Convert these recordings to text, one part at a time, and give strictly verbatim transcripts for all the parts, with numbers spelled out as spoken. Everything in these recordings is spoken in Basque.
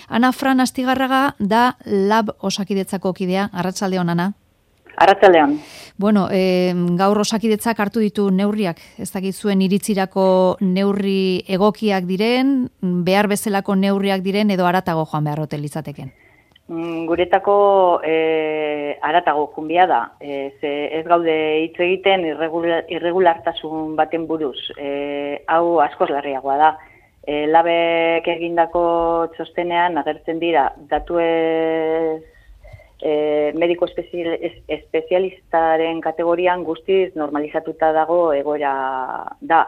Ana Fran Astigarraga da Lab Osakidetzako kidea. Arratsaldeon, Ana. Arratsaldeon. Bueno, e, gaur Osakidetzak hartu ditu neurriak. Ez dakit zuen iritzirako neurri egokiak diren, behar bezalako neurriak diren edo haratago joan beharrote litzateken. Mm, guretako e, haratago junbia da. E, ze ez gaude hitz egiten irregular, irregulartasun baten buruz. E, hau askoz larriagoa da. E, labek egindako txostenean agertzen dira datu ez E, mediko espezial, espezialistaren kategorian guztiz normalizatuta dago egoera da.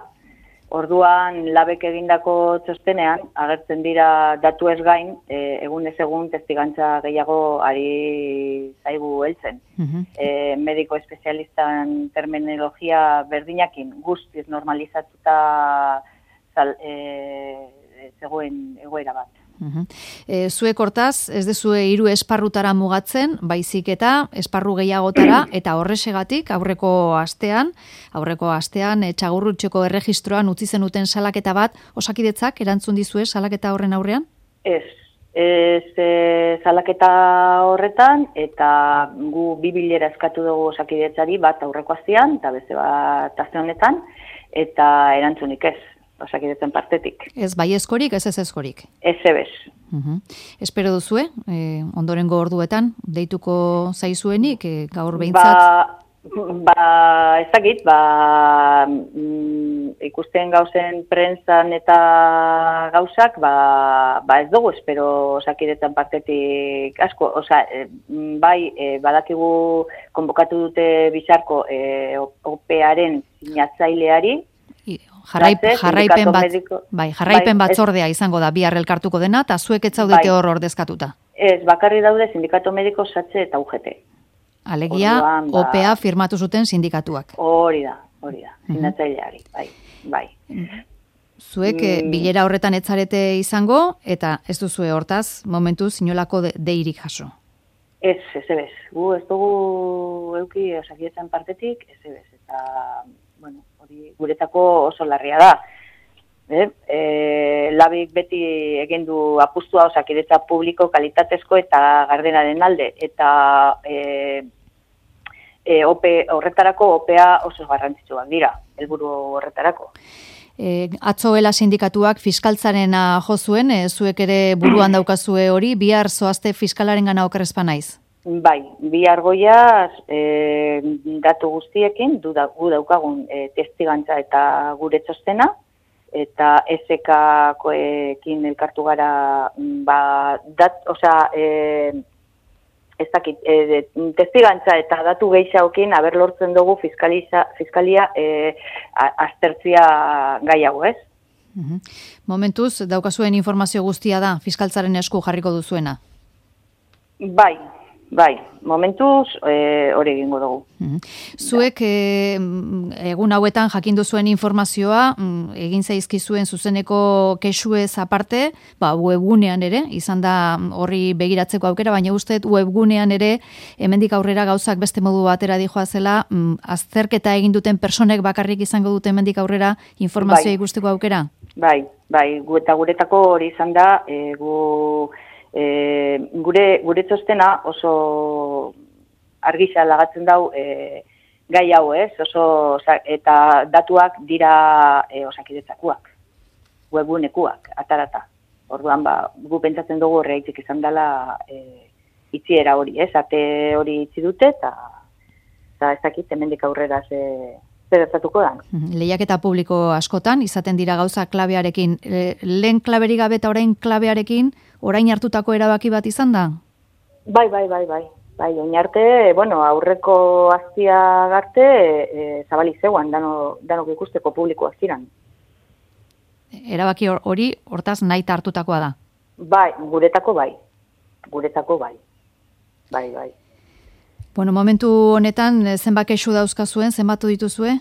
Orduan, labek egindako txostenean, agertzen dira datu ez gain, e, egunez egun testigantza gehiago ari zaigu heltzen. Uh-huh. e, mediko espezialistan terminologia berdinakin guztiz normalizatuta zal, e, zegoen egoera bat. Uh-huh. E, zuek hortaz, ez dezue hiru esparrutara mugatzen, baizik eta esparru gehiagotara, eta horrexegatik aurreko astean, aurreko astean, e, Txagorrutxeko erregistroan utzi zenuten salaketa bat, Osakidetzak erantzun dizue salaketa horren aurrean? Ez, ez e, salaketa horretan, eta gu bi bilera eskatu dugu Osakidetzari bat aurreko astean, eta beste bat aste honetan, eta erantzunik ez. Osakidetzen partetik. Ez baiezkorik, ez ez ezkorik? Ez ebez. Uh-huh. Espero duzue, e, ondorengo orduetan, deituko zaizuenik, e, gaur behintzat? Ba, ba ez dakit, ba, mm, ikusten gauzen prentsan eta gauzak, ba, ba ez dugu espero Osakidetzen partetik asko. Osa, e, bai, e, badakigu konbokatu dute bizarko e, O P A-aren sinatzaileari, Jarraip, jarraipen bat, bai, jarraipen bai, batzordea izango da bihar elkartuko dena, eta zuek ez zaudete bai, hor ordezkatuta. Ez, bakarri daude sindikato mediko Satze eta U G T. Alegia, Orduan, ba, O P A firmatu zuten sindikatuak. Hori da, hori da, sinatzaileari, bai, bai. Zuek mm. bilera horretan etzarete izango, eta ez duzue hortaz, momentuz, inolako de, deirik jaso. Ez, ez ebez. Gu ez dugu euki Osakidetzan partetik, ez ebez. Eta, bueno, hori guretako oso larria da. Eh? E, labik beti egin du apustua Osakidetza publiko kalitatezko eta gardenaren alde. Eta e, e, O P, horretarako O P A oso garrantzitsuak dira, helburu horretarako. E, atzoela sindikatuak fiskaltzarena jo zuen, e, zuek ere buruan daukazue hori, bihar zoazte fiskalaren gana okerrezpa naiz. Bai, bi argoiaz e, datu guztiekin, du da, gu daukagun e, testigantza eta gure txostena, eta S K-koekin elkartu gara, ba, dat, oza, e, ez dakit, e, testigantza eta datu gehiagokin haber lortzen dugu fiskaliza, fiskalia e, aztertzia gai hau, ez? Uh-huh. Momentuz, daukazuen informazio guztia da, fiskaltzaren esku jarriko duzuena? Bai. Bai, momentuz hori e, egingo dugu. Mm. Zuek e, egun hauetan jakindu zuen informazioa, egin zaizkizuen zuzeneko kexuez aparte, ba, webgunean ere, izan da horri begiratzeko aukera, baina uste webgunean ere, hemendik aurrera gauzak beste modu batera dijoa zela, azterketa egin duten personek bakarrik izango dute hemendik aurrera informazioa bai, ikusteko aukera? Bai, bai, gu eta guretako hori izan da, e, gu... E, gure, gure txostena oso argisa lagatzen dau e, gai hau ez, oso, eta datuak dira e, Osakidetzakoak, webgunekuak, atarata. Orduan, ba, gu pentsatzen dugu horreitik izan dela e, itziera hori, ez, ate hori itzi dute, eta ez dakit, hemendik aurrera ze... zertatuko da. Lehiaketa publiko askotan, izaten dira gauza klabearekin. Lehen klaberik gabe eta orain klabearekin, orain hartutako erabaki bat izan da? Bai, bai, bai, bai. Bai, oin arte, bueno, aurreko aztia garte, e, zabali zeuan, dano, danok ikusteko publiko aztiran. Erabaki hori, hortaz, nahi hartutakoa da? Bai, guretako bai. Guretako bai. Bai, bai. Bueno, momentu honetan, zenbat kexu dauzkazuen, zenbatu dituzue,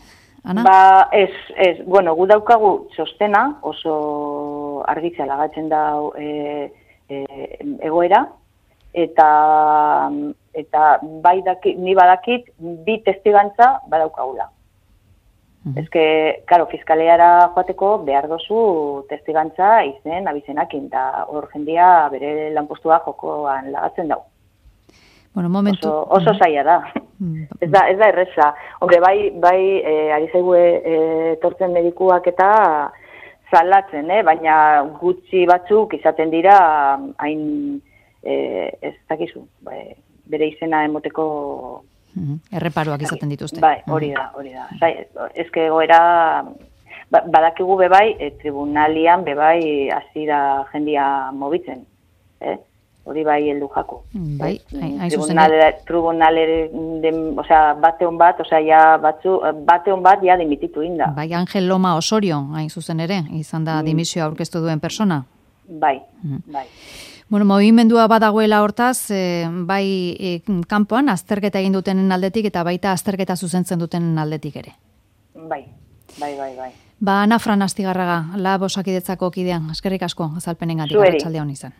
Ana? Ba, ez, ez, bueno, gu daukagu txostena, oso argitzea lagatzen da e, e, egoera, eta, eta bai daki, ni badakit, bi testigantza badaukagula. Uh-huh. Ezke, karo, fiskaleara joateko behar dozu testigantza izen abizenakin, eta hor jendia bere lanpostua jokoan lagatzen dau. Bueno, momentu... Oso, oso zaila da. Mm. Ez da, ez da erreza. Hombre, bai, bai, e, ari zaigu e, tortzen medikuak eta salatzen, eh? Baina gutxi batzuk izaten dira hain, e, ez dakizu, bai, bere izena emoteko... Mm-hmm. Erreparoak izaten dituzte. Bai, hori da, hori da. Zai, ezke goera, badakigu bebai, e, tribunalian bebai hasi da jendia mobitzen, eh? Hori bai heldu jako. Bai, hain zuzen. Tribunalere, osea, bate hon bat, osea, ja batzu, bate hon bat ja dimititu inda. Bai, Angel Loma Osorio, hain zuzen ere, izan da dimisioa aurkeztu duen persona. Bai, bai. Bueno, movimendua badagoela hortaz, e, bai e, kanpoan azterketa egin dutenen aldetik eta baita azterketa zuzentzen dutenen aldetik ere. Bai, bai, bai, bai. Ba, Ana Fran Astigarraga, Lab Osakidetzako kidean, eskerrik asko azalpenengatik, arratsalde on izan.